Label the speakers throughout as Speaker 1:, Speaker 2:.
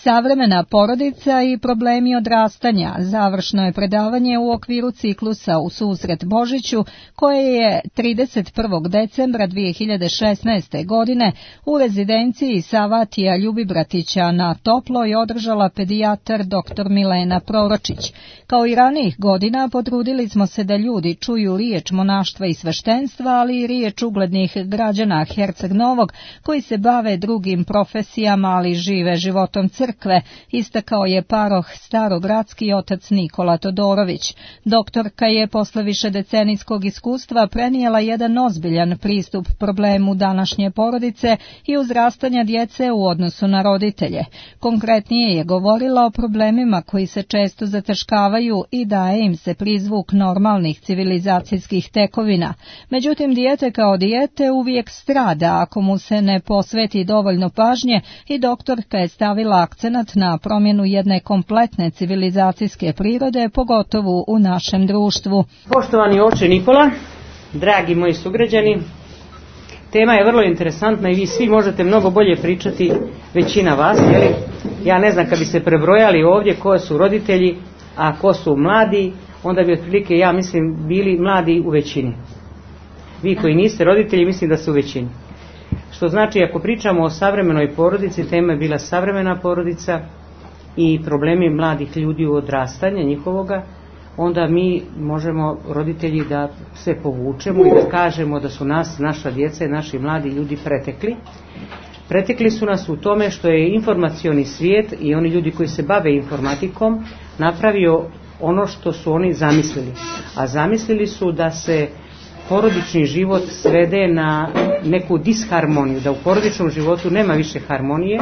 Speaker 1: Savremena porodica i problemi odrastanja završno je predavanje u okviru ciklusa U susret Božiću koje je 31. decembra 2016. godine u rezidenciji Savatija Ljubibratića na Toploj održala pedijatar dr. Milena Proročić. Kao i ranijih godina potrudili smo se da ljudi čuju riječ monaštva i sveštenstva, ali i riječ uglednih građana Herceg Novog koji se bave drugim profesijama, ali žive životom crkve, istakao je paroh starogradski otac Nikola Todorović. Doktorka je posle višedecenijskog iskustva prenijela jedan ozbiljan pristup problemu današnje porodice i uzrastanja djece u odnosu na roditelje. Konkretnije je govorila o problemima koji se često zataškavaju i daje im se prizvuk normalnih civilizacijskih tekovina. Međutim, dijete kao dijete uvijek strada ako mu se ne posveti dovoljno pažnje i doktorka je stavila akcenat na promjenu jedne kompletne civilizacijske prirode, pogotovo u našem društvu.
Speaker 2: Poštovani oče Nikola, dragi moji sugrađani, tema je vrlo interesantna i vi svi možete mnogo bolje pričati, većina vas, jeli? Ja ne znam, kad bi se prebrojali ovdje ko su roditelji, a ko su mladi, onda bi otprilike, ja mislim, bili mladi u većini. Vi koji niste roditelji, mislim da su u većini. Što znači, ako pričamo o savremenoj porodici, tema je bila savremena porodica i problemi mladih ljudi u odrastanju njihovoga, onda mi možemo, roditelji, da se povučemo i da kažemo da su nas, naša djeca i naši mladi ljudi pretekli. Pretekli su nas u tome što je informacioni svijet i oni ljudi koji se bave informatikom napravio ono što su oni zamislili. A zamislili su da se porodični život svede na neku disharmoniju, da u porodičnom životu nema više harmonije.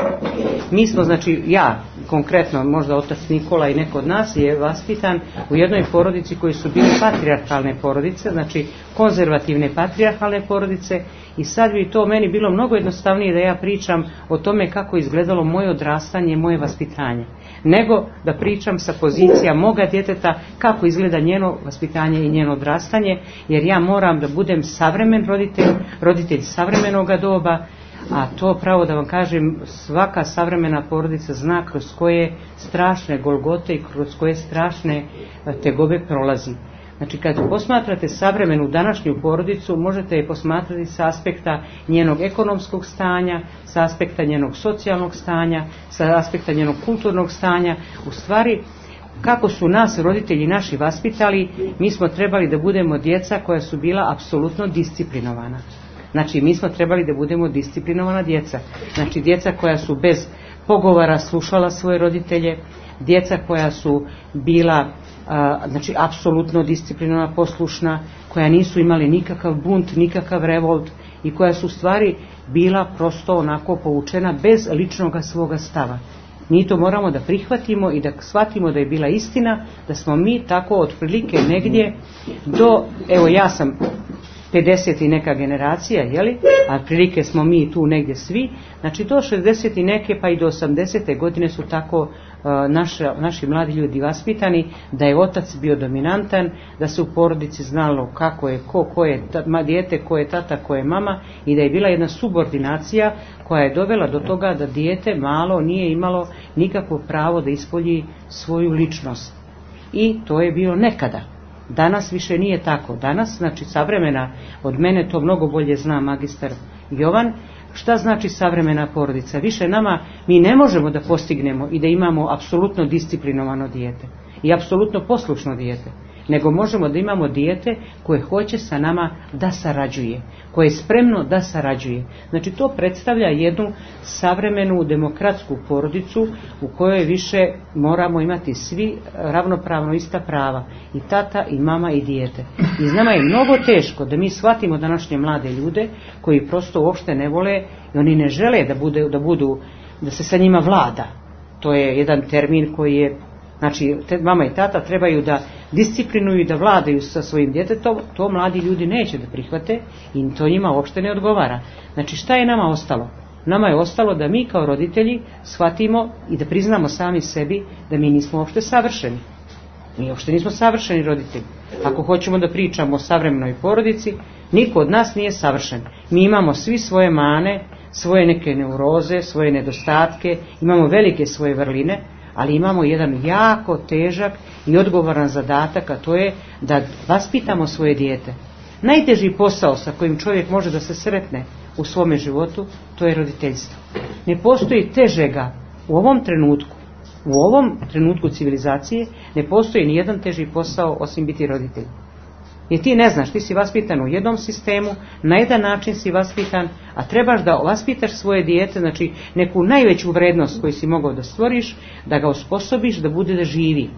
Speaker 2: Mi smo, znači ja konkretno, možda otac Nikola i neko od nas je vaspitan u jednoj porodici koji su bili patrijarhalne porodice, znači konzervativne patrijarhalne porodice, i sad bi to meni bilo mnogo jednostavnije da ja pričam o tome kako izgledalo moje odrastanje, moje vaspitanje, nego da pričam sa pozicija moga djeteta kako izgleda njeno vaspitanje i njeno odrastanje, jer ja moram da budem savremen roditelj savremenoga doba, a to pravo da vam kažem, svaka savremena porodica zna kroz koje strašne golgote i kroz koje strašne tegobe prolazi. Znači, kad posmatrate savremenu današnju porodicu, možete je posmatrati sa aspekta njenog ekonomskog stanja, sa aspekta njenog socijalnog stanja, sa aspekta njenog kulturnog stanja. U stvari, kako su nas roditelji naši vaspitali, mi smo trebali da budemo djeca koja su bila apsolutno disciplinovana. Znači, mi smo trebali da budemo disciplinovana djeca. Znači, djeca koja su bez pogovora slušala svoje roditelje, djeca koja su bila znači apsolutno disciplinovana, poslušna, koja nisu imali nikakav bunt, nikakav revolt i koja su u stvari bila prosto onako poučena bez ličnoga svoga stava. Mi to moramo da prihvatimo i da shvatimo da je bila istina, da smo mi tako otprilike negdje do, evo ja sam 50 i neka generacija, jeli? A prilike smo mi tu negdje svi, znači do 60 i neke pa i do 80. godine su tako naši mladi ljudi vaspitani, da je otac bio dominantan, da se u porodici znalo kako je ko je dijete, ko je tata, ko je mama, i da je bila jedna subordinacija koja je dovela do toga da dijete malo nije imalo nikakvo pravo da ispolji svoju ličnost. I to je bilo nekada. Danas više nije tako. Danas, znači savremena, od mene to mnogo bolje zna magistar Jovan, šta znači savremena porodica. Više nama, mi ne možemo da postignemo i da imamo apsolutno disciplinovano dijete i apsolutno poslušno dijete, nego možemo da imamo dijete koje hoće sa nama da sarađuje, koje je spremno da sarađuje. Znači to predstavlja jednu savremenu demokratsku porodicu u kojoj više moramo imati svi ravnopravno ista prava, i tata i mama i dijete. I nama je mnogo teško da mi shvatimo današnje mlade ljude koji prosto uopšte ne vole i oni ne žele da se sa njima vlada. To je jedan termin koji je, znači mama i tata trebaju da disciplinuju i da vladaju sa svojim djetetom, to mladi ljudi neće da prihvate i to njima uopšte ne odgovara. Znači šta je nama ostalo? Nama je ostalo da mi kao roditelji shvatimo i da priznamo sami sebi da mi nismo uopšte savršeni. Mi uopšte nismo savršeni roditelji. Ako hoćemo da pričamo o savremenoj porodici, niko od nas nije savršen. Mi imamo svi svoje mane, svoje neke neuroze, svoje nedostatke, imamo velike svoje vrline, ali imamo jedan jako težak i odgovoran zadatak, a to je da vaspitamo svoje dijete. Najteži posao sa kojim čovjek može da se sretne u svome životu, to je roditeljstvo. Ne postoji težega u ovom trenutku civilizacije, ne postoji ni jedan teži posao osim biti roditelj. Jer ti ne znaš, ti si vaspitan u jednom sistemu, na jedan način si vaspitan, a trebaš da vaspitaš svoje dijete, znači neku najveću vrednost koju si mogao da stvoriš, da ga osposobiš da bude da živi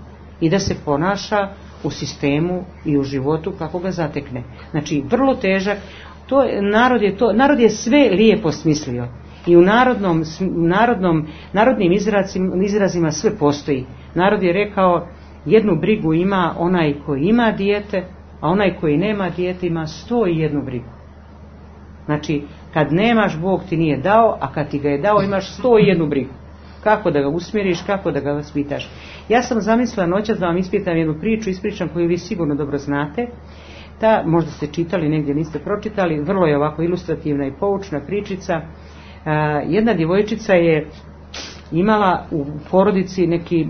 Speaker 2: i da se ponaša u sistemu i u životu kako ga zatekne. Znači, vrlo težak. Narod je sve lijepo smislio i u narodnim izrazima sve postoji. Narod je rekao, jednu brigu ima onaj koji ima dijete, a onaj koji nema dijete ima 101 brigu. Znači, kad nemaš, Bog ti nije dao, a kad ti ga je dao imaš 101 brigu. Kako da ga usmjeriš, kako da ga vaspitaš. Ja sam zamislila noćas da vam ispričam jednu priču, ispričam koju vi sigurno dobro znate. Možda ste čitali, negdje niste pročitali, vrlo je ovako ilustrativna i poučna pričica. Jedna djevojčica je imala u porodici neki,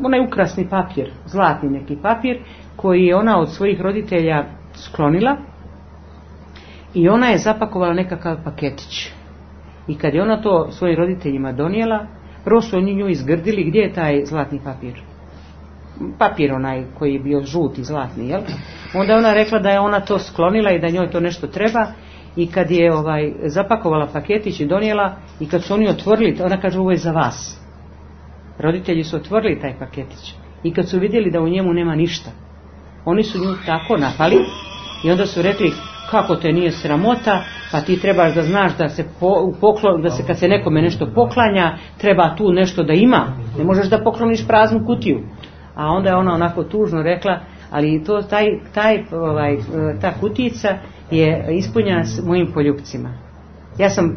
Speaker 2: onaj ukrasni papir, zlatni neki papir, koji je ona od svojih roditelja sklonila i ona je zapakovala nekakav paketić. I kad je ona to svojim roditeljima donijela, prvo su oni nju izgrdili, gdje je taj zlatni papir? Papir onaj koji je bio žuti, zlatni, jel? Onda je ona rekla da je ona to sklonila i da njoj to nešto treba, i kad je zapakovala paketić i donijela, i kad su oni otvorili, ona kaže, ovo je za vas. Roditelji su otvorili taj paketić i kad su vidjeli da u njemu nema ništa, oni su nju tako napali i onda su rekli, kako te nije sramota, pa ti trebaš da znaš da se kad se nekome nešto poklanja, treba tu nešto da ima, ne možeš da pokloniš praznu kutiju. A onda je ona onako tužno rekla, ali to ta kutijica je ispunjena s mojim poljupcima. Ja sam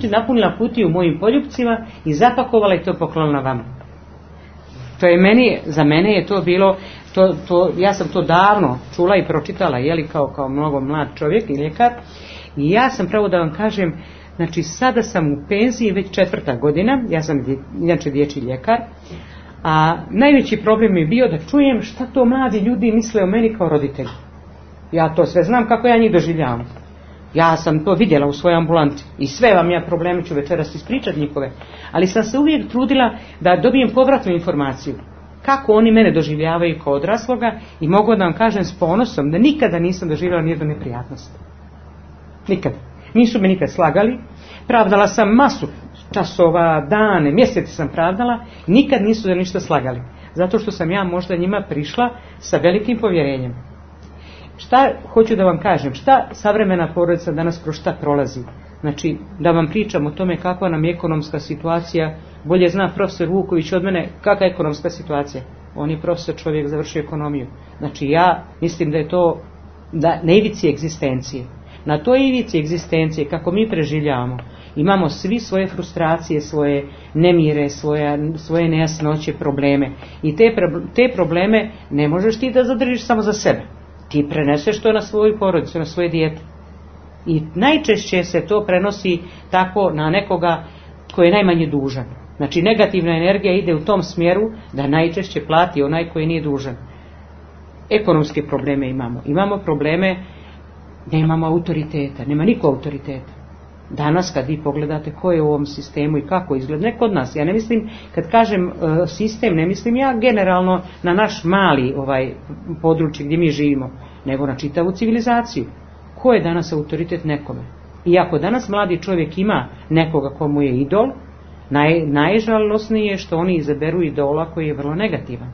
Speaker 2: napunila kutiju mojim poljupcima i zapakovala i to poklonila vama. To je za mene je to bilo, ja sam to davno čula i pročitala, kao mnogo mlad čovjek i ljekar, i ja sam, pravo da vam kažem, znači sada sam u penziji već 4. godina, ja sam inače dječji ljekar, a najveći problem je bio da čujem šta to mladi ljudi misle o meni kao roditelju. Ja to sve znam kako ja njih doživljavam. Ja sam to vidjela u svojoj ambulanti i sve vam ja probleme ću večeras ispričati njihove, ali sam se uvijek trudila da dobijem povratnu informaciju kako oni mene doživljavaju kao odrasloga, i mogu da vam kažem s ponosom da nikada nisam doživjela nijednu neprijatnost. Nikada. Nisu me nikad slagali, pravdala sam masu časova, dane, mjeseci sam pravdala, nikad nisu da ništa slagali, zato što sam ja možda njima prišla sa velikim povjerenjem. Šta hoću da vam kažem, šta savremena porodica danas kroz šta prolazi? Znači, da vam pričam o tome kakva nam je ekonomska situacija, bolje zna profesor Vuković od mene kakva je ekonomska situacija. On je profesor, čovjek, završio ekonomiju. Znači, ja mislim da je to na ivici egzistencije. Na toj ivici egzistencije, kako mi preživljavamo, imamo svi svoje frustracije, svoje nemire, svoje nejasnoće, probleme. I te probleme ne možeš ti da zadržiš samo za sebe. Ti preneseš to na svoju porodicu, na svoje dijete. I najčešće se to prenosi tako na nekoga koji je najmanje dužan. Znači, negativna energija ide u tom smjeru da najčešće plati onaj koji nije dužan. Ekonomske probleme imamo. Imamo probleme da imamo autoriteta. Nema niko autoriteta. Danas kad vi pogledate ko je u ovom sistemu i kako izgleda, ne kod nas. Ja ne mislim, kad kažem sistem, ne mislim ja generalno na naš mali područje gdje mi živimo, nego na čitavu civilizaciju. Ko je danas autoritet nekome? I ako danas mladi čovjek ima nekoga komu je idol, najžalosnije je što oni izaberu idola koji je vrlo negativan.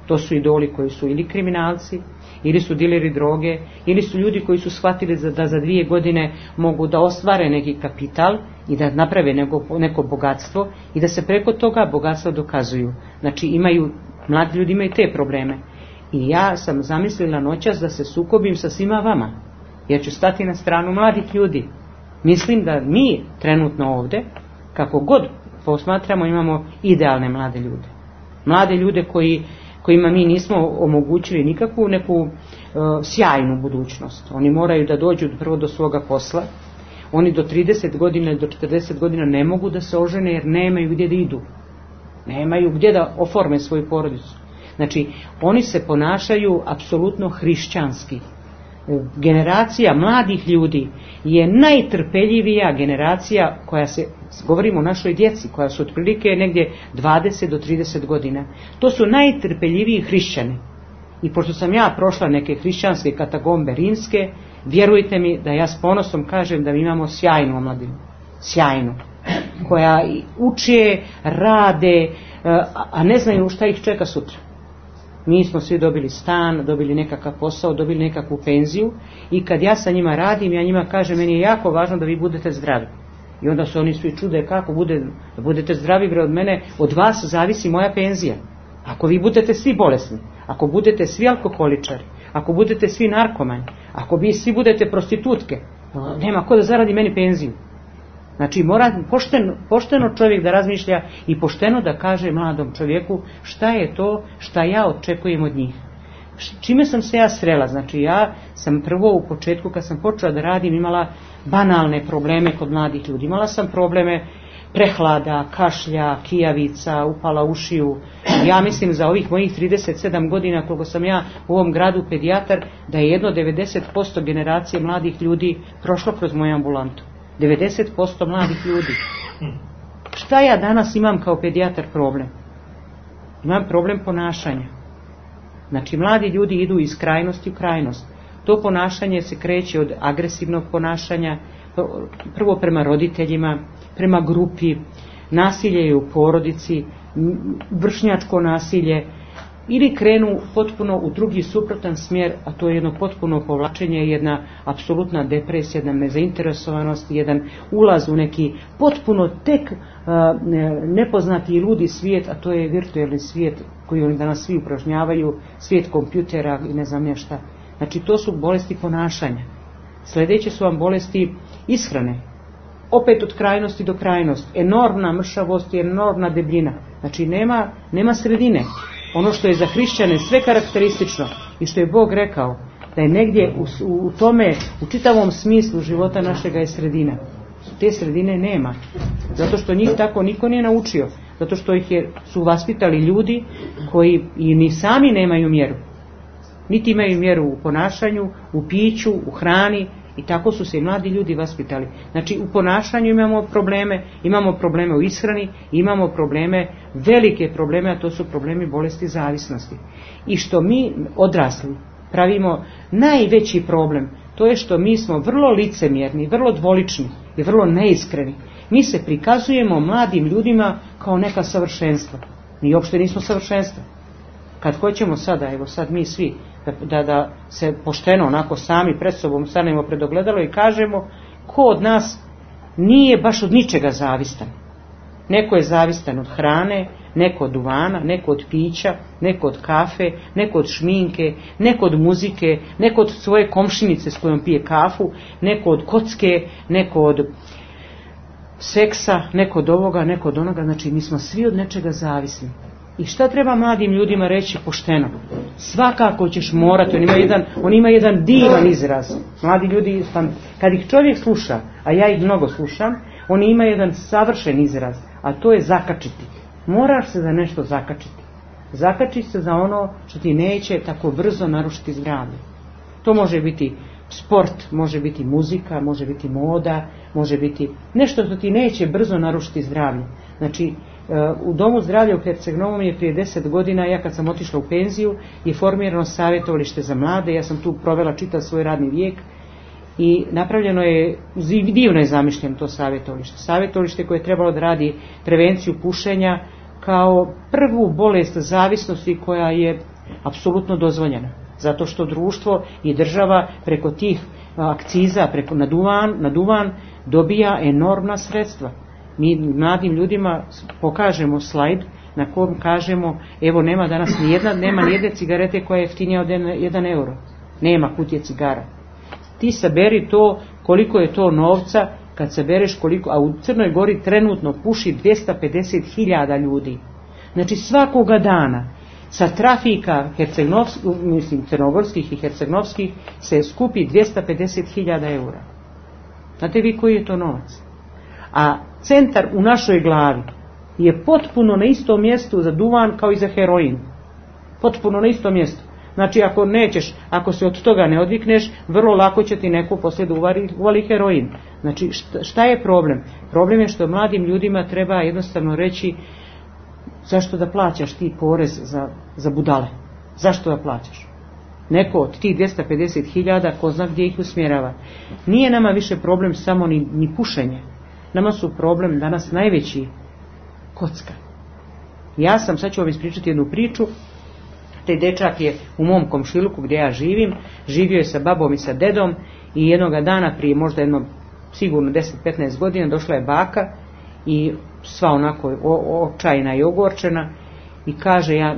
Speaker 2: To su idoli koji su ili kriminalci, ili su dileri droge, ili su ljudi koji su shvatili da za 2 godine mogu da ostvare neki kapital i da naprave neko bogatstvo i da se preko toga bogatstva dokazuju. Znači, mladi ljudi imaju te probleme. I ja sam zamislila noćas da se sukobim sa svima vama, jer ću stati na stranu mladih ljudi. Mislim da mi trenutno ovdje, kako god posmatramo, imamo idealne mlade ljude. Mlade ljude kojima mi nismo omogućili nikakvu neku sjajnu budućnost. Oni moraju da dođu prvo do svoga posla, Oni do 30 godina ili do 40 godina ne mogu da se ožene jer nemaju gdje da idu. Nemaju gdje da oforme svoju porodicu. Znači, oni se ponašaju apsolutno hrišćanski. Generacija mladih ljudi je najtrpeljivija generacija koja se, govorimo o našoj djeci, koja su otprilike negdje 20 do 30 godina. To su najtrpeljiviji hrišćani. I pošto sam ja prošla neke hrišćanske katakombe rimske, vjerujte mi da ja s ponosom kažem da mi imamo sjajnu omladinu. Sjajnu. Koja uče, rade, a ne znaju šta ih čeka sutra. Mi smo svi dobili stan, dobili nekakav posao, dobili nekakvu penziju i kad ja sa njima radim, ja njima kažem, meni je jako važno da vi budete zdravi. I onda se oni svi čude kako da budete zdravi, bre, od mene, od vas zavisi moja penzija. Ako vi budete svi bolesni, ako budete svi alkoholičari, ako budete svi narkomani, ako vi svi budete prostitutke, nema ko da zaradi meni penziju. Znači mora pošteno čovjek da razmišlja i pošteno da kaže mladom čovjeku šta je to šta ja očekujem od njih. Čime sam se ja srela? Znači ja sam prvo u početku kad sam počela da radim imala banalne probleme kod mladih ljudi. Imala sam probleme prehlada, kašlja, kijavica, upala ušiju. Ja mislim za ovih mojih 37 godina koliko sam ja u ovom gradu pedijatar da je jedno 90% generacije mladih ljudi prošlo kroz moju ambulantu. 90% mladih ljudi. Šta ja danas imam kao pedijatar problem? Imam problem ponašanja. Znači mladi ljudi idu iz krajnosti u krajnost. To ponašanje se kreće od agresivnog ponašanja, prvo prema roditeljima, prema grupi, nasilje je u porodici, vršnjačko nasilje, ili krenu potpuno u drugi suprotan smjer, a to je jedno potpuno povlačenje, jedna apsolutna depresija, jedna nezainteresovanost, jedan ulaz u neki potpuno tek nepoznati i ludi svijet, a to je virtualni svijet koji oni danas svi upražnjavaju, svijet kompjutera i ne znam šta. Znači to su bolesti ponašanja. Sljedeće su vam bolesti ishrane. Opet od krajnosti do krajnosti. Enormna mršavost i enormna debljina. Znači nema sredine. Ono što je za hrišćane sve karakteristično i što je Bog rekao da je negdje u tome, u čitavom smislu života našega je sredina. Te sredine nema. Zato što njih tako niko nije naučio. Zato što su vaspitali ljudi koji i ni sami nemaju mjeru. Niti imaju mjeru u ponašanju, u piću, u hrani i tako su se i mladi ljudi vaspitali. Znači u ponašanju imamo probleme u ishrani, imamo probleme, velike probleme, a to su problemi bolesti zavisnosti. I što mi odrasli pravimo najveći problem, to je što mi smo vrlo licemjerni, vrlo dvolični i vrlo neiskreni. Mi se prikazujemo mladim ljudima kao neka savršenstva. Mi uopšte nismo savršenstva. Kad hoćemo sada, evo sad mi svi, da se pošteno onako sami pred sobom stanemo pred ogledalo i kažemo ko od nas nije baš od ničega zavistan. Neko je zavistan od hrane, neko od duvana, neko od pića, neko od kafe, neko od šminke, neko od muzike, neko od svoje komšinice s kojom pije kafu, neko od kocke, neko od seksa, neko od ovoga, neko od onoga. Znači mi smo svi od nečega zavisni. I šta treba mladim ljudima reći pošteno? Svakako ćeš morati, on ima jedan divan izraz. Mladi ljudi, kad ih čovjek sluša, a ja ih mnogo slušam, oni ima jedan savršen izraz, a to je zakačiti. Moraš se za nešto zakačiti. Zakači se za ono što ti neće tako brzo narušiti zdravlje. To može biti sport, može biti muzika, može biti moda, može biti nešto što ti neće brzo narušiti zdravlje. Znači, u Domu zdravlja u Herceg-Novom je prije 10 godina, ja kad sam otišla u penziju, je formirano savjetovalište za mlade. Ja sam tu provela čitav svoj radni vijek i napravljeno je, divno je zamišljeno to savjetovalište. Savjetovalište koje je trebalo da radi prevenciju pušenja kao prvu bolest zavisnosti koja je apsolutno dozvoljena. Zato što društvo i država preko tih akciza, na duvan dobija enormna sredstva. Mi mladim ljudima pokažemo slajd na kojem kažemo evo nema danas nema nijedne cigarete koja je jeftinija od 1 euro. Nema kutije cigara. Ti saberi to koliko je to novca kad sabereš koliko, a u Crnoj Gori trenutno puši 250.000 ljudi. Znači svakoga dana sa trafika crnogorskih i hercegnovskih se skupi 250.000 eura. Znate vi koji je to novac? A centar u našoj glavi je potpuno na istom mjestu za duvan kao i za heroin. Potpuno na istom mjestu. Znači ako se od toga ne odvikneš, vrlo lako će ti neko poslije da uvali heroin. Znači šta je problem? Problem je što mladim ljudima treba jednostavno reći zašto da plaćaš ti porez za budale? Zašto da plaćaš? Neko od tih 250.000 ko zna gdje ih usmjerava. Nije nama više problem samo ni pušenje. Nama su problem danas najveći kocka. Sad ću vam ispričati jednu priču. Taj dečak je u mom komšiluku gdje ja živim, živio je sa babom i sa dedom i jednoga dana prije možda sigurno 10-15 godina došla je baka i sva onako očajna i ogorčena i kaže,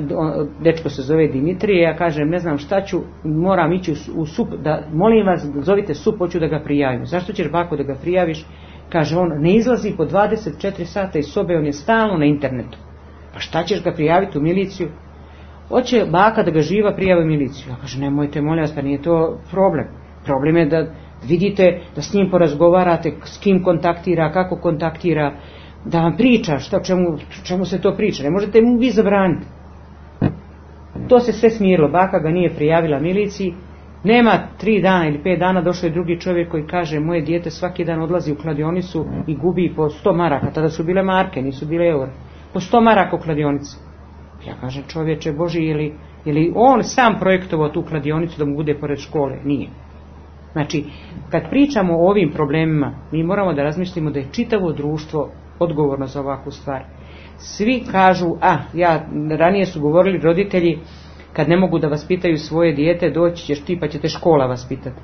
Speaker 2: dečko se zove Dimitrije, ja kažem ne znam šta ću, moram ići u SUP, molim vas zovite SUP, hoću da ga prijavim. Zašto ćeš bako da ga prijaviš? Kaže on, ne izlazi po 24 sata iz sobe, on je stalno na internetu. Pa šta ćeš ga prijaviti u miliciju? Hoće baka da ga živa prijavi u miliciju. Ja kažem, nemojte, molim vas, pa nije to problem. Problem je da vidite, da s njim porazgovarate, s kim kontaktira, kako kontaktira, da vam priča, čemu se to priča. Ne možete mu vi zabraniti. To se sve smirilo. Baka ga nije prijavila miliciji. Nema 3 dana ili 5 dana došao je drugi čovjek koji kaže, moje dijete svaki dan odlazi u kladionicu i gubi po 100 maraka. Tada su bile marke, nisu bile eure. Po 100 maraka u kladionici. Ja kažem, čovječe Boži, je li on sam projektovao tu kladionicu da mu bude pored škole? Nije. Znači, kad pričamo o ovim problemima, mi moramo da razmislimo da je čitavo društvo odgovorno za ovakvu stvar. Svi kažu, ranije su govorili roditelji, kad ne mogu da vaspitaju svoje dijete, doći ćeš ti pa će te škola vaspitati.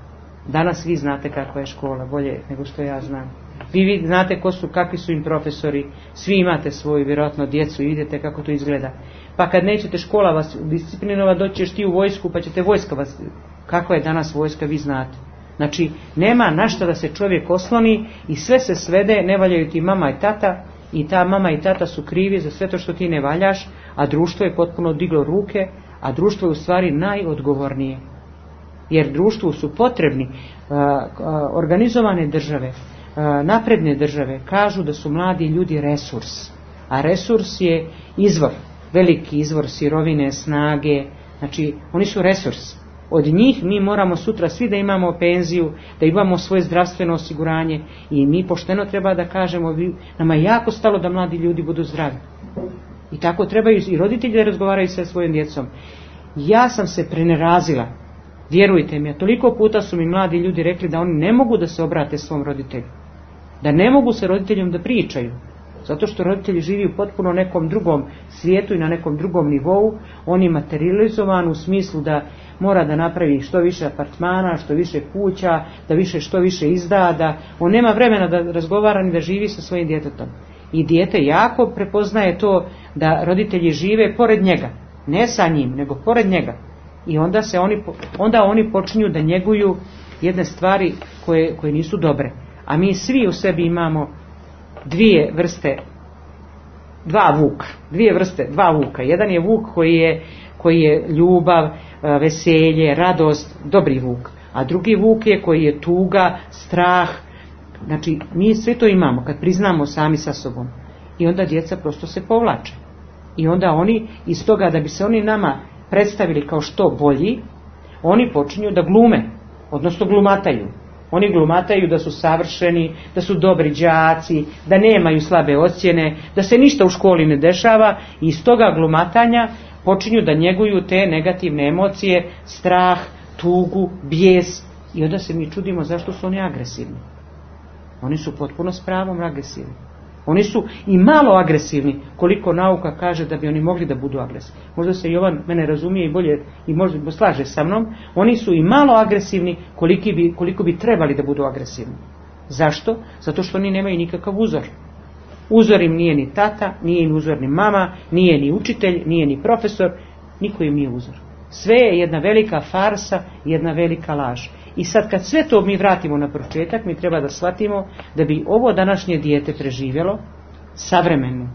Speaker 2: Danas vi znate kakva je škola, bolje nego što ja znam. Vi znate kakvi su im profesori, svi imate svoju vjerojatno djecu i vidite kako to izgleda. Pa kad nećete škola vas disciplinova, doći ćeš ti u vojsku pa ćete vojska vas. Kakva je danas vojska, vi znate. Znači, nema na šta da se čovjek osloni i sve se svede, ne valjaju ti mama i tata i ta mama i tata su krivi za sve to što ti ne valjaš, a društvo je potpuno diglo ruke, a društvo je u stvari najodgovornije. Jer društvu su potrebni organizovane države, napredne države, kažu da su mladi ljudi resurs, a resurs je izvor, veliki izvor sirovine, snage, znači oni su resurs. Od njih mi moramo sutra svi da imamo penziju, da imamo svoje zdravstveno osiguranje i mi pošteno treba da kažemo, nama je jako stalo da mladi ljudi budu zdravi. I tako trebaju i roditelji da razgovaraju sa svojim djecom. Ja sam se prenerazila, vjerujte mi, toliko puta su mi mladi ljudi rekli da oni ne mogu da se obrate svom roditelju, da ne mogu sa roditeljom da pričaju, zato što roditelji živi u potpuno nekom drugom svijetu i na nekom drugom nivou. On je materializovan u smislu da mora da napravi što više apartmana, što više kuća, što više izda, da on nema vremena da razgovara ni da živi sa svojim djetetom. I dijete jako prepoznaje to da roditelji žive pored njega, ne sa njim, nego pored njega. I onda oni počinju da njeguju jedne stvari koje nisu dobre. A mi svi u sebi imamo dvije vrste vuka. Jedan je vuk koji je ljubav, veselje, radost, dobri vuk. A drugi vuk je koji je tuga, strah. Znači, mi sve to imamo kad priznamo sami sa sobom. I onda djeca prosto se povlače. I onda oni, iz toga da bi se oni nama predstavili kao što bolji, oni počinju da glume, odnosno glumataju. Oni glumataju da su savršeni, da su dobri đaci, da nemaju slabe ocjene, da se ništa u školi ne dešava i iz toga glumatanja počinju da njeguju te negativne emocije, strah, tugu, bijes i onda se mi čudimo zašto su oni agresivni. Oni su potpuno s pravom agresivni. Oni su i malo agresivni koliko nauka kaže da bi oni mogli da budu agresivni. Možda se Jovan mene razumije i bolje i možda slaže sa mnom. Oni su i malo agresivni koliko bi trebali da budu agresivni. Zašto? Zato što oni nemaju nikakav uzor. Uzor im nije ni tata, nije im uzor ni mama, nije ni učitelj, nije ni profesor, niko im nije uzor. Sve je jedna velika farsa, jedna velika laž. I sad kad sve to mi vratimo na početak, mi treba da shvatimo da bi ovo današnje dijete preživjelo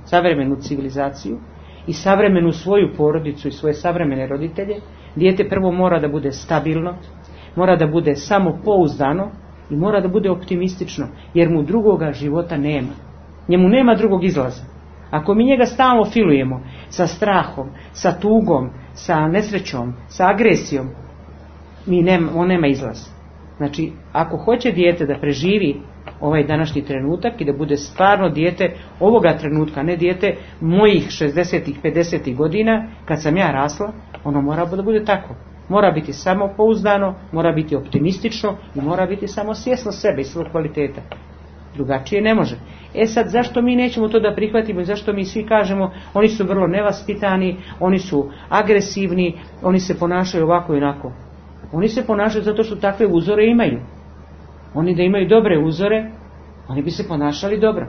Speaker 2: savremenu civilizaciju i savremenu svoju porodicu i svoje savremene roditelje. Dijete prvo mora da bude stabilno, mora da bude samopouzdano, i mora da bude optimistično, jer mu drugoga života nema. Njemu nema drugog izlaza. Ako mi njega stalno filujemo sa strahom, sa tugom, sa nesrećom, sa agresijom, on nema izlaz. Znači, ako hoće dijete da preživi ovaj današnji trenutak i da bude stvarno dijete ovoga trenutka, ne dijete mojih 60-ih, 50-ih godina, kad sam ja rasla, ono mora da bude tako. Mora biti samopouzdano, mora biti optimistično i mora biti samo svjesno sebe i svog kvaliteta. Drugačije ne može. Sad, zašto mi nećemo to da prihvatimo i zašto mi svi kažemo oni su vrlo nevaspitani, oni su agresivni, oni se ponašaju ovako i onako. Oni se ponašaju zato što takve uzore imaju. Oni da imaju dobre uzore, oni bi se ponašali dobro.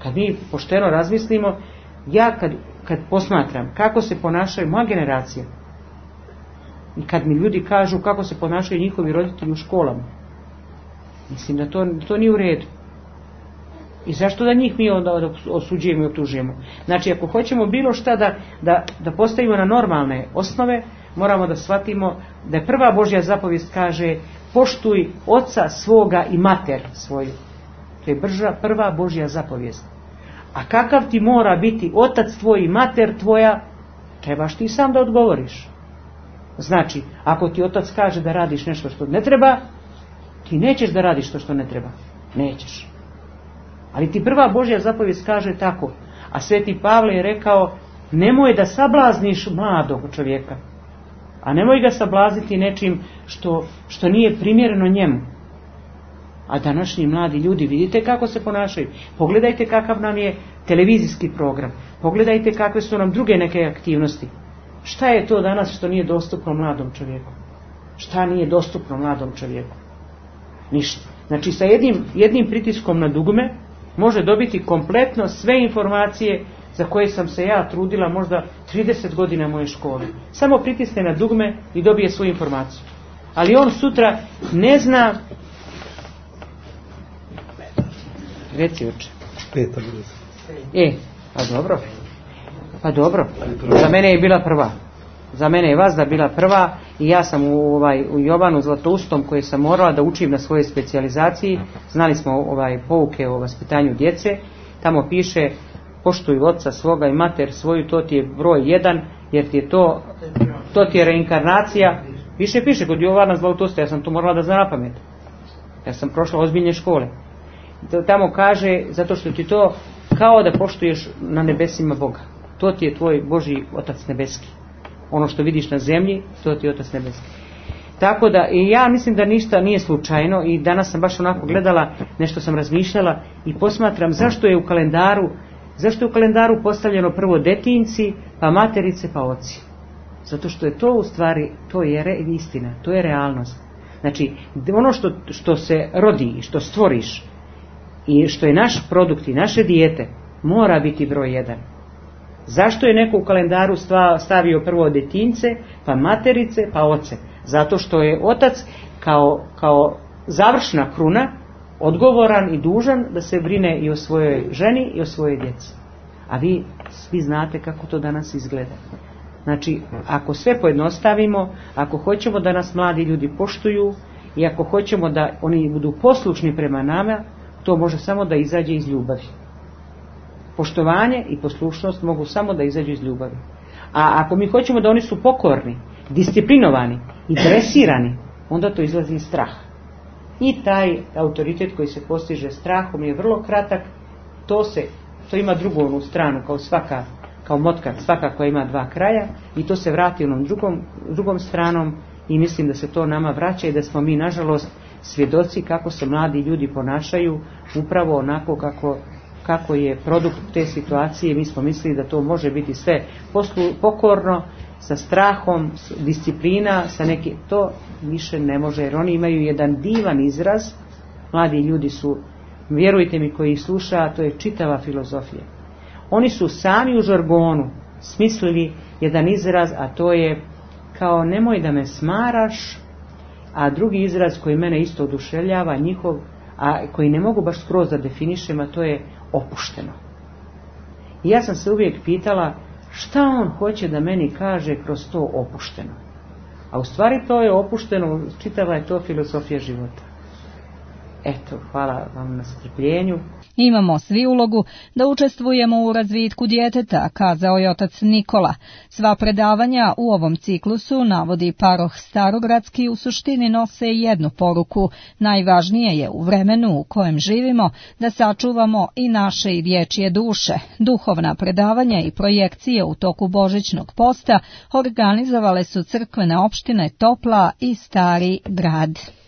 Speaker 2: Kad mi pošteno razmislimo, ja kad posmatram kako se ponašaju moja generacija i kad mi ljudi kažu kako se ponašaju njihovi roditelji u školama, mislim da to nije u redu. I zašto da njih mi onda osuđujemo i optužujemo? Znači, ako hoćemo bilo šta da postavimo na normalne osnove, moramo da shvatimo da je prva Božja zapovijest kaže poštuj oca svoga i mater svoju. To je prva Božja zapovijest. A kakav ti mora biti otac tvoj i mater tvoja, trebaš ti sam da odgovoriš. Znači, ako ti otac kaže da radiš nešto što ne treba, ti nećeš da radiš to što ne treba. Nećeš. Ali ti prva Božja zapovijest kaže tako. A Sveti Pavle je rekao, nemoj da sablazniš mladog čovjeka. A nemoj ga sablazniti nečim što nije primjereno njemu. A današnji mladi ljudi, vidite kako se ponašaju. Pogledajte kakav nam je televizijski program. Pogledajte kakve su nam druge neke aktivnosti. Šta je to danas što nije dostupno mladom čovjeku? Šta nije dostupno mladom čovjeku? Ništa. Znači, sa jednim pritiskom na dugme može dobiti kompletno sve informacije za koje sam se ja trudila možda 30 godina moje škole. Samo pritisne na dugme i dobije svoju informaciju. Ali on sutra ne zna... Reci uče. Pa dobro. Za mene je bila prva. Za mene je Vazda bila prva i ja sam u Jovanu Zlatoustom koji sam morala da učim na svojoj specijalizaciji. Znali smo pouke o vaspitanju djece. Tamo piše poštuj oca svoga i mater svoju, to ti je broj 1, jer ti je to ti je reinkarnacija. Piše kod Jovana Zlatousta, ja sam to morala da znam na pamet. Ja sam prošla ozbiljne škole. Tamo kaže, zato što ti to kao da poštuješ na nebesima Boga. To ti je tvoj Božji Otac nebeski. Ono što vidiš na zemlji, to ti je Otac nebeski. Tako da, i ja mislim da ništa nije slučajno i danas sam baš onako gledala, nešto sam razmišljala i posmatram zašto je u kalendaru postavljeno prvo detinci, pa materice, pa oci. Zato što je to u stvari, to je istina, to je realnost. Znači, ono što se rodi i što stvoriš i što je naš produkt i naše dijete, mora biti broj 1. Zašto je neko u kalendaru stavio prvo detince, pa materice, pa oce? Zato što je otac kao završna kruna odgovoran i dužan da se brine i o svojoj ženi i o svojoj djeci. A vi svi znate kako to danas izgleda. Znači, ako sve pojednostavimo, ako hoćemo da nas mladi ljudi poštuju i ako hoćemo da oni budu poslušni prema nama, to može samo da izađe iz ljubavi. Poštovanje i poslušnost mogu samo da izađu iz ljubavi. A ako mi hoćemo da oni su pokorni, disciplinovani i dresirani, onda to izlazi iz straha. I taj autoritet koji se postiže strahom je vrlo kratak. To ima drugu onu stranu, kao motka, svaka koja ima 2 kraja, i to se vrati onom drugom stranom i mislim da se to nama vraća i da smo mi nažalost svjedoci kako se mladi ljudi ponašaju upravo onako kako je produkt te situacije. Mi smo mislili da to može biti sve pokorno, sa strahom, disciplina, to više ne može, jer oni imaju jedan divan izraz. Mladi ljudi su, vjerujte mi koji ih sluša, to je čitava filozofija. Oni su sami u žargonu smislili jedan izraz, a to je kao nemoj da me smaraš, a drugi izraz koji mene isto oduševljava, njihov, a koji ne mogu baš skroz da definišem, a to je opušteno. I ja sam se uvijek pitala šta on hoće da meni kaže kroz to opušteno. A u stvari to je opušteno, čitava je to filozofija života. Eto, hvala vam na strpljenju.
Speaker 1: Imamo svi ulogu da učestvujemo u razvitku djeteta, kazao je otac Nikola. Sva predavanja u ovom ciklusu, navodi paroh Starogradski, u suštini nose jednu poruku. Najvažnije je u vremenu u kojem živimo da sačuvamo i naše i dječje duše. Duhovna predavanja i projekcije u toku Božićnog posta organizovale su crkvene opštine Topla i Stari Grad.